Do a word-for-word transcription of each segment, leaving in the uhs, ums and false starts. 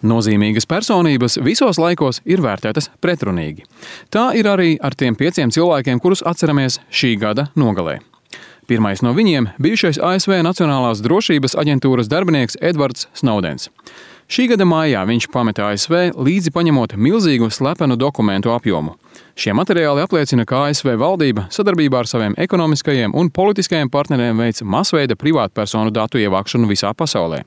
Nozīmīgas personības visos laikos ir vērtētas pretrunīgi. Tā ir arī ar tiem pieciem cilvēkiem, kurus atceramies šī gada nogalē. Pirmais no viņiem – bijušais A S V Nacionālās drošības aģentūras darbinieks Edvards Snowdens. Šī gada maijā viņš pameta A S V līdzi paņemot milzīgu slepenu dokumentu apjomu. Šie materiāli apliecina, ka A S V valdība sadarbībā ar saviem ekonomiskajiem un politiskajiem partneriem veic masveida privātpersonu datu ievākšanu visā pasaulē.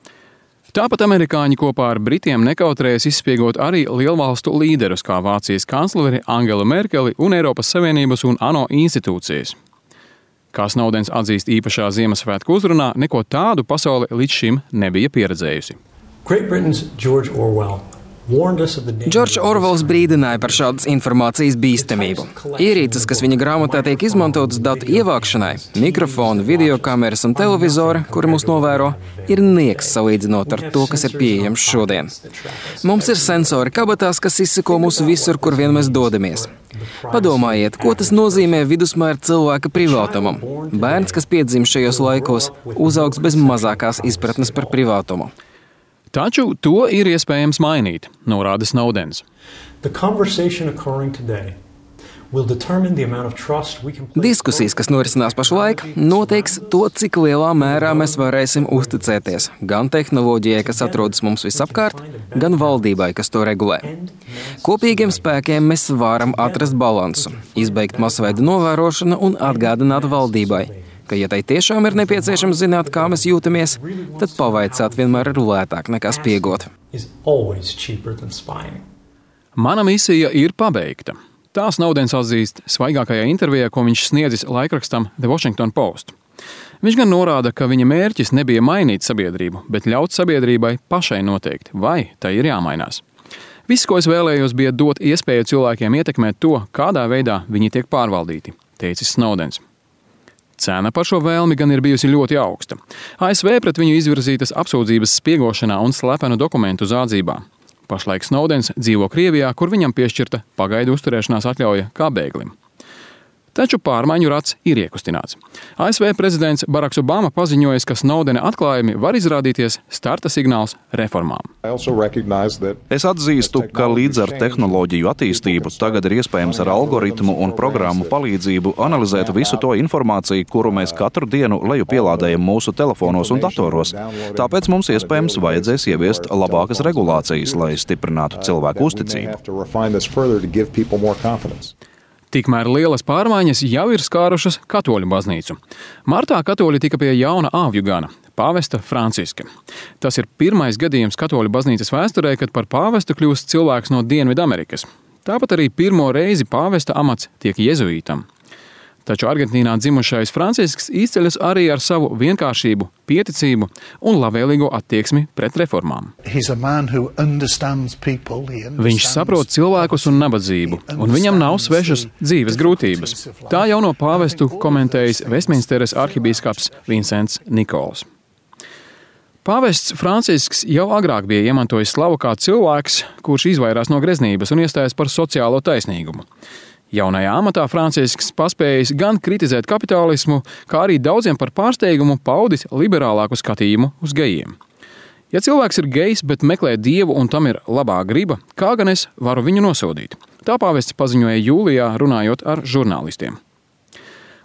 Tāpat amerikāņi kopā ar Britiem nekautrējas izspiegot arī lielvalstu līderus, kā Vācijas kancleri Angelu Merkeli un Eiropas Savienības un ANO institūcijas. Kā Snowdens atzīst īpašā Ziemassvētku uzrunā, neko tādu pasaule līdz šim nebija pieredzējusi. Džordžs Orvels brīdināja par šādas informācijas bīstamību. Ierīces, kas viņa grāmatā tiek izmantotas datu ievākšanai, mikrofoni, videokameras un televizori, kuri mūs novēro, ir nieks salīdzinot ar to, kas ir pieejams šodien. Mums ir sensori kabatās, kas izseko mūsu visur, kur vien mēs dodamies. Padomājiet, ko tas nozīmē vidusmēra cilvēka privātumam. Bērns, kas piedzim šajos laikos, uzaugs bez mazākās izpratnes par privātumu. Taču to ir iespējams mainīt, norāda Snowdens. Diskusijas, kas norisinās pašlaik, noteiks to, cik lielā mērā mēs varēsim uzticēties gan tehnoloģijai, kas atrodas mums visapkārt, gan valdībai, kas to regulē. Kopīgiem spēkiem mēs varam atrast balansu, izbeigt masveida novērošanu un atgādināt valdībai, ka, ja tai tiešām ir nepieciešams zināt, kā mēs jūtamies, tad pavaicāt vienmēr ir lētāk nekā spiegot. Mana misija ir pabeigta. Tā Snowdens atzīst svaigākajā intervijā, ko viņš sniedzis laikrakstam The Washington Post. Viņš gan norāda, ka viņa mērķis nebija mainīt sabiedrību, bet ļaut sabiedrībai pašai noteikt, vai tai ir jāmainās. Viss, ko es vēlējos, bija dot iespēju cilvēkiem ietekmēt to, kādā veidā viņi tiek pārvaldīti, teicis Snowdens. Cena par šo vēlmi gan ir bijusi ļoti augsta. A S V pret viņu izvirzītas apsūdzības spiegošanā un slepenu dokumentu zādzībā. Pašlaik Snowdens dzīvo Krievijā, kur viņam piešķirta pagaidu uzturēšanās atļauja kā bēglim. Taču pārmaiņu rats ir iekustināts. A S V prezidents Baraks Obama paziņoja, ka Snowdena atklājumi var izrādīties starta signāls reformām. Es atzīstu, ka līdz ar tehnoloģiju attīstību tagad ir iespējams ar algoritmu un programmu palīdzību analizēt visu to informāciju, kuru mēs katru dienu leju pielādējam mūsu telefonos un datoros. Tāpēc mums iespējams vajadzēs ieviest labākas regulācijas, lai stiprinātu cilvēku uzticību. Tikmēr lielas pārmaiņas jau ir skārušas katoļu baznīcu. Martā katoļi tika pie jauna āvju gana – pāvesta Franciska. Tas ir pirmais gadījums katoļu baznīcas vēsturē, kad par pāvestu kļūst cilvēks no Dienvidamerikas. Tāpat arī pirmo reizi pāvesta amats tiek jezuītam. Taču Argentīnā dzimušais Francisks izceļas arī ar savu vienkāršību, pieticību un labvēlīgo attieksmi pret reformām. Viņš saprot cilvēkus un nabadzību, un viņam nav svešas dzīves grūtības. Tā jauno pāvestu komentējis Vestminsteres arhibīskaps Vincents Nikols. Pāvests Francisks jau agrāk bija iemantojis slavu kā cilvēks, kurš izvairās no greznības un iestājas par sociālo taisnīgumu. Jaunajā amatā Francisks paspējis gan kritizēt kapitālismu, kā arī daudziem par pārsteigumu paudis liberālāku skatījumu uz gejiem. Ja cilvēks ir gejs, bet meklē dievu un tam ir labā griba, kā gan es varu viņu nosodīt? Tā pāvests paziņoja jūlijā, runājot ar žurnālistiem.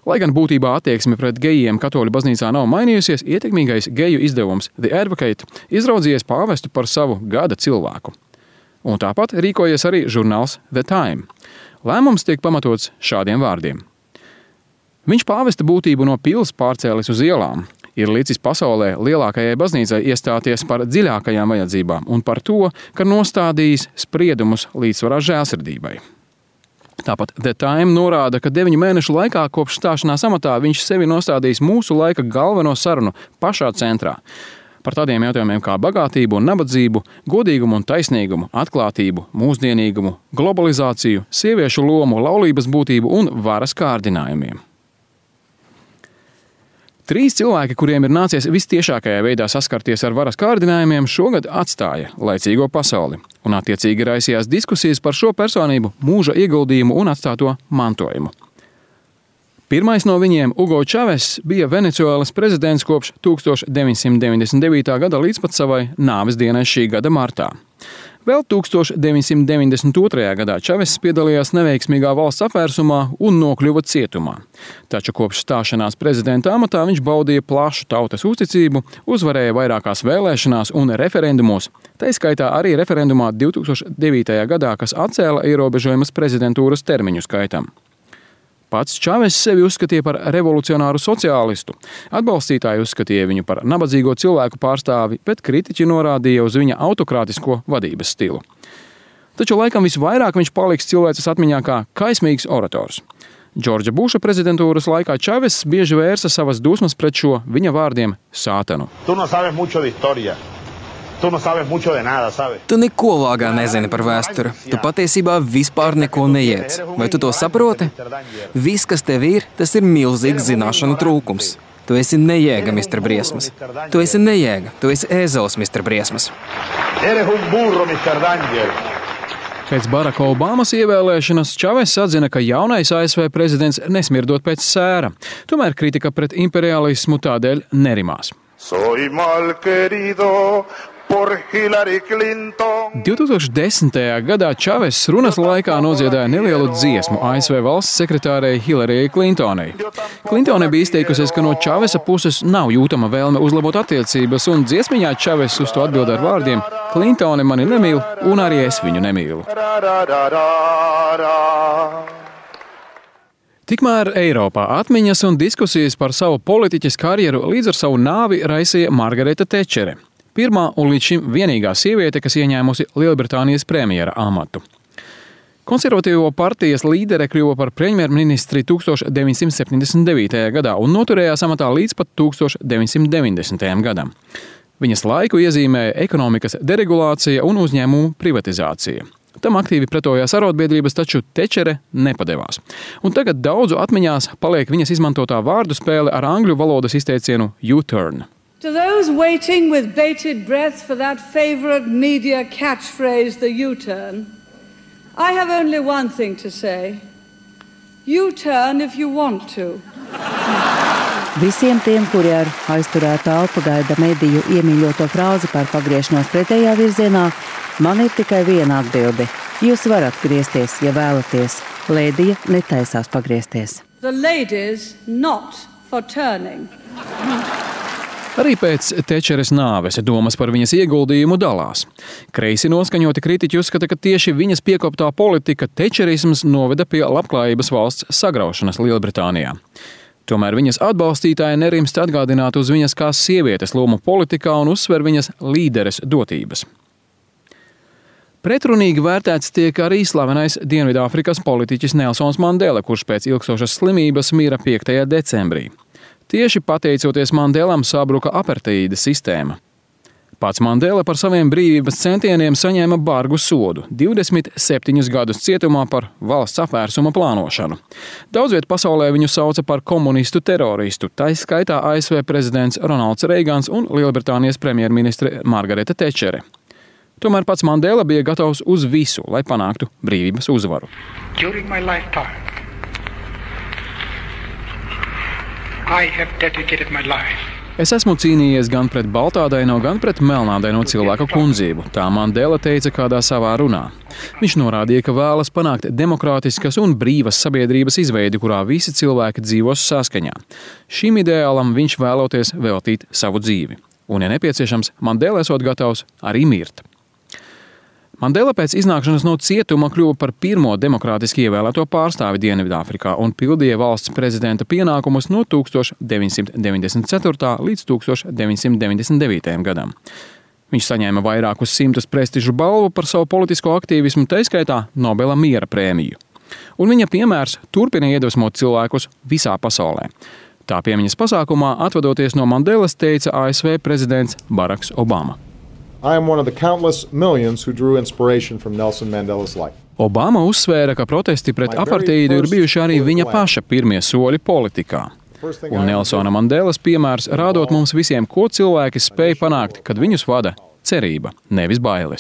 Lai gan būtībā attieksme pret gejiem katoļu baznīcā nav mainījusies, ietekmīgais geju izdevums The Advocate izraudzījies pāvestu par savu gada cilvēku. Un tāpat rīkojies arī žurnāls The Time. Lēmums tiek pamatots šādiem vārdiem. Viņš pāvesta būtību no pils pārcēlis uz ielām, ir licis pasaulē lielākajai baznīcai iestāties par dziļākajām vajadzībām un par to, ka nostādījis spriedumus līdzsvarā žēlsirdībai. Tāpat The Time norāda, ka deviņu mēnešu laikā kopš stāšanās amatā viņš sevi nostādījis mūsu laika galveno sarunu pašā centrā. Par tādiem jautājumiem kā bagātību un nabadzību, godīgumu un taisnīgumu, atklātību, mūsdienīgumu, globalizāciju, sieviešu lomu, laulības būtību un varas kārdinājumiem. Trīs cilvēki, kuriem ir nācies vistiešākajā veidā saskarties ar varas kārdinājumiem, šogad atstāja laicīgo pasauli un attiecīgi raisījās diskusijas par šo personību mūža ieguldījumu un atstāto mantojumu. Pirmais no viņiem, Ugo Čaves, bija Venecuēlas prezidents kopš tūkstoš deviņsimt deviņdesmit devītā gada līdz pat savai nāves dienai šī gada martā. Vēl tūkstoš deviņsimt deviņdesmit otrajā gadā Čaves piedalījās neveiksmīgā valsts apvērsumā un nokļuva cietumā. Taču kopš stāšanās prezidenta amatā viņš baudīja plašu tautas uzticību, uzvarēja vairākās vēlēšanās un referendumos, tā skaitā arī referendumā divtūkstoš devītajā gadā, kas atcēla ierobežojumus prezidentūras termiņu skaitam. Pats Čaves sevi uzskatīja par revolucionāru sociālistu. Atbalstītāji uzskatīja viņu par nabadzīgo cilvēku pārstāvi, bet kritiķi norādīja uz viņa autokrātisko vadības stilu. Taču laikam visvairāk viņš paliks cilvēces atmiņā kā kaismīgs orators. Džordža Buša prezidentūras laikā Čaves bieži vērsa savas dusmas pret šo viņa vārdiem sātanu. Tu no sabes mucho de historia. Tu no sabes mucho de nada, sabes? Tu neko vāgā nezini par vēsturi. Tu patiesībā vispār neko neiec. Vai tu to saproti? Viss, kas tev ir, tas ir milzīgs zināšanu trūkums. Tu esi nejēga, mister Briesmas. Tu esi nejēga. Tu esi ēzelis, mister Briesmas. Eres un burro, mister Danger. Pēc Baraka Obamas ievēlēšanas Čaves atzina, ka jaunais A S V prezidents nesmirdot pēc sēra. Tomēr kritika pret imperialismu tādēļ nerimās. Soy mal querido por Hillary Clinton. divtūkstoš desmitajā gadā Čaves runas laikā nodziedāja nelielu dziesmu A S V valsts sekretārei Hillaryjai Clintonai. Clintone bija izteikusies, ka no Čavesa puses nav jūtama vēlme uzlabot attiecības, un dziesmiņā Čaves uz to atbild ar vārdiem: Clintone mani nemīl, un arī es viņu nemīlu. Tikmēr Eiropā atmiņas un diskusijas par savu politiķes karjeru līdz ar savu nāvi raisīja Margareta Tečere. Pirmā un līdz šim vienīgā sieviete, kas ieņēmusi Lielbritānijas premjera amatu. Konservatīvo partijas līdere kļuva par premjerministri tūkstoš deviņsimt septiņdesmit devītajā gadā un noturējās amatā līdz pat tūkstoš deviņsimt deviņdesmitajam gadam. Viņas laiku iezīmēja ekonomikas deregulācija un uzņēmumu privatizācija. Tam aktīvi pretojās arotbiedrības, taču Tečere nepadevās. Un tagad daudzu atmiņās paliek viņas izmantotā vārdu spēle ar angļu valodas izteicienu U-turn. To those waiting with bated breath for that favorite media catchphrase, the U-turn, I have only one thing to say. U-turn if you want to. Visiem tiem, kuri ar aizturētu elpu gaida mediju iemīļoto frāzi par pagriešanos pretējā virzienā, man ir tikai viena atbilde. Jūs varat griezties, ja vēlaties. Lēdija netaisās pagriezties. The ladies not for turning. Arī pēc Tečeres nāves domas par viņas ieguldījumu dalās. Kreisi noskaņoti kritiķi uzskata, ka tieši viņas piekoptā politika tečerisms noveda pie labklājības valsts sagraušanas Lielbritānijā. Tomēr viņas atbalstītāji nerimst atgādināt uz viņas kā sievietes lomu politikā un uzsver viņas līderes dotības. Pretrunīgi vērtēts tiek arī slavenais Dienvidāfrikas politiķis Nelsons Mandela, kurš pēc ilgstošas slimības mira piektajā decembrī. Tieši pateicoties Mandelam sabruka aparteīda sistēma. Pats Mandela par saviem brīvības centieniem saņēma bargu sodu – divdesmit septiņus gadus cietumā par valsts apvērsuma plānošanu. Daudzviet pasaulē viņu sauca par komunistu teroristu, tā skaitā A S V prezidents Ronalds Reigans un Lielbritānijas premjerministre Margareta Tečere. Tomēr pats Mandela bija gatavs uz visu, lai panāktu brīvības uzvaru. During my lifetime, I have dedicated my life. Es esmu cīnījies gan pret baltādaino, gan pret melnādaino cilvēku kundzību, tā Mandela teica kādā savā runā. Viņš norādīja, ka vēlas panākt demokrātiskas un brīvas sabiedrības izveidi, kurā visi cilvēki dzīvos saskaņā. Šim ideālam viņš vēloties veltīt savu dzīvi. Un, ja nepieciešams, Mandela esot gatavs arī mirt. Mandela pēc iznākšanas no cietuma kļuva par pirmo demokrātiski ievēlēto pārstāvi Dienvidāfrikā un pildīja valsts prezidenta pienākumus no tūkstoš deviņsimt deviņdesmit ceturtā līdz tūkstoš deviņsimt deviņdesmit devītajam gadam. Viņš saņēma vairākus simtus prestižu balvu par savu politisko aktīvismu, tā skaitā Nobela miera prēmiju. Un viņa piemērs turpina iedvesmot cilvēkus visā pasaulē. Tā piemiņas pasākumā, atvadoties no Mandelas, teica A S V prezidents Baraks Obama. I am one of the countless millions who drew inspiration from Nelson Mandela's life. Obama uzsvēra, ka protesti pret aparteīdu ir bijuši arī viņa paša pirmie soļi politikā. Un Nelsona Mandelas piemērs rādot mums visiem, ko cilvēki spēj panākt, kad viņus vada cerība, nevis bailes.